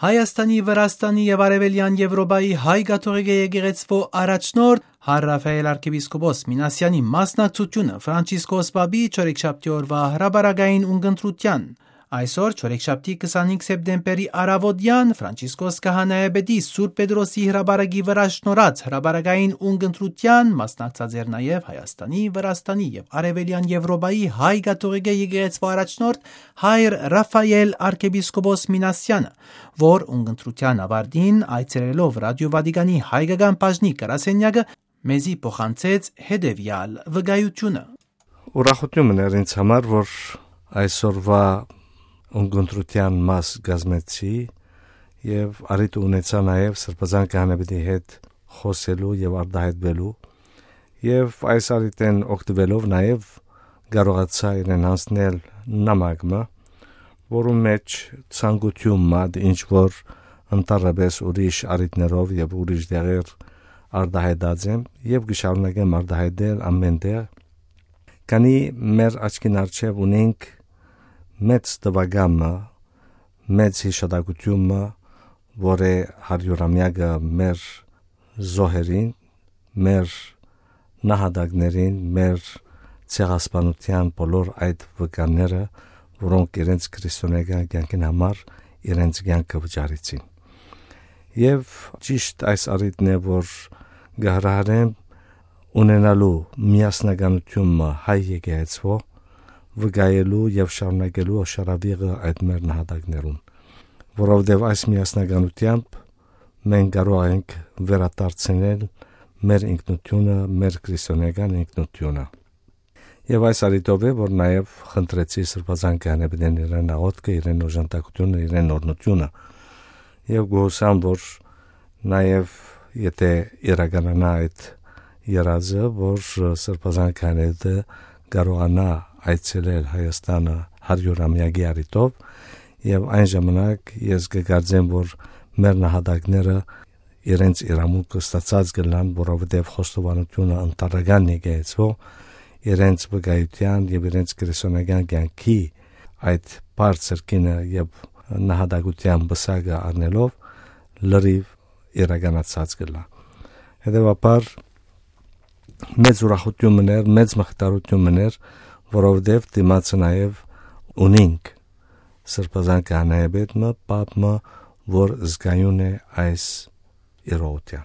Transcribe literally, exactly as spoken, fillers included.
Հայաստանի, Վրաստանի եւ Արեւելեան Եւրոպայի հայ կաթողիկէ եկեղեցւոյ առաջնորդ Հար Ռաֆայել արքեպիսկոպոս Մինասեանի մասնակցութիւնը Ֆրանցիսկոս Պապի չորեքշաբթի օրուայ հրապարակային ունկնդրութեան։ Այսօր, չորեքշաբթի քսանհինգ սեպտեմբերի առաւօտեան, Ֆրանցիսկոս քահանայապետի Սուրբ Պետրոսի հրապարակի վրայ շնորհած հրապարակային ունկնդրութեան մասնակցած էր նաեւ Հայաստանի, Վրաստանի եւ Արեւելեան Եւրոպայի հայ կաթողիկէ եկեղեցւոյ առաջնորդ Հայր Ռաֆայել արքեպիսկոպոս Մինասեանը, որ ունկնդրութեան աւարտին այցելելով Ռադիօ Վատիկանի հայկական բաժնի գրասենյակը մեզի փոխանցեց հետեւեալ վկայութիւնը։ Ուրախութիւն մըն էր ինձ համար, որ այսօրուայ ունկնդրութեան մաս կազմեցի եւ առիթ ունեցայ նաեւ Սրբազան քահանայապետի հետ խօսելու եւ արտայայտուելու, եւ այս առիթէն օգտուելով նաեւ կարողացայ իրեն յանձնել նամակ մը, որուն մէջ ցանկութիւն մը, ինչ որ ընդհանրապէս ուրիշ առիթներով եւ ուրիշ տեղեր արտայայտած եմ եւ կը շարունակեմ արտայայտել ամէն տեղ, քանի մեր աչքին առջեւ ունենք մեծ տուական մը, մեծ յիշատակութիւն մը, որ է հարիւրամեակը մեր զոհերին, մեր նահատակներին, մեր ցեղասպանութեան բոլոր այդ վկաները, որոնք իրենց քրիստոնեական կյանքին համար իրենց կյանքը վճարեցին։ Եւ ճիշտ այս առիթն է, որ կը հրահրեմ ունենալու միասնականութիւն մը հայ եկեղեցւոյ, վկայելու եւ շարունակելու օշարավիղը այդ մեր նահատակներուն, որովհետեւ այս միասնականութեամբ մենք կարող ենք վերադարձնել մեր ինքնությունը, մեր քրիստոնեական ինքնությունը։ Եւ այս առիթով է, որ նաեւ խնդրեցի Սրբազան քահանայապետին իրեն աղօթքը, իրեն օժանդակությունը, իրեն օրհնությունը։ Եւ գոհուսամ, որ նաեւ եթե իրականանա այդ երազը, որ Սրբազան քահանայապետը կարողանա այցելել Հայաստանը հարիւրամեակի առիթով, եւ այն ժամանակ ես կկարծեմ, որ մեր նահատակները իրենց իրավունքը ստացած կ'ըլլան, որովհետեւ խոստովանութիւնը ընդհանրական եկեղեցւոյ իրենց վկայութեան եւ իրենց քրիստոնեական կյանքի այդ բարձր գինը եւ նահատակութեան պսակը առնելով լրիւ իրականացած կ'ըլլայ։ Հետեւաբար, մեծ ուրախութիւն մըն էր, մեծ մխիթարութիւն մըն էր, որովհետեւ դիմացը նաեւ ունինք Սրբազան քահանայապետ մը, պապ մը, որ զգայուն է այս իրողութեան։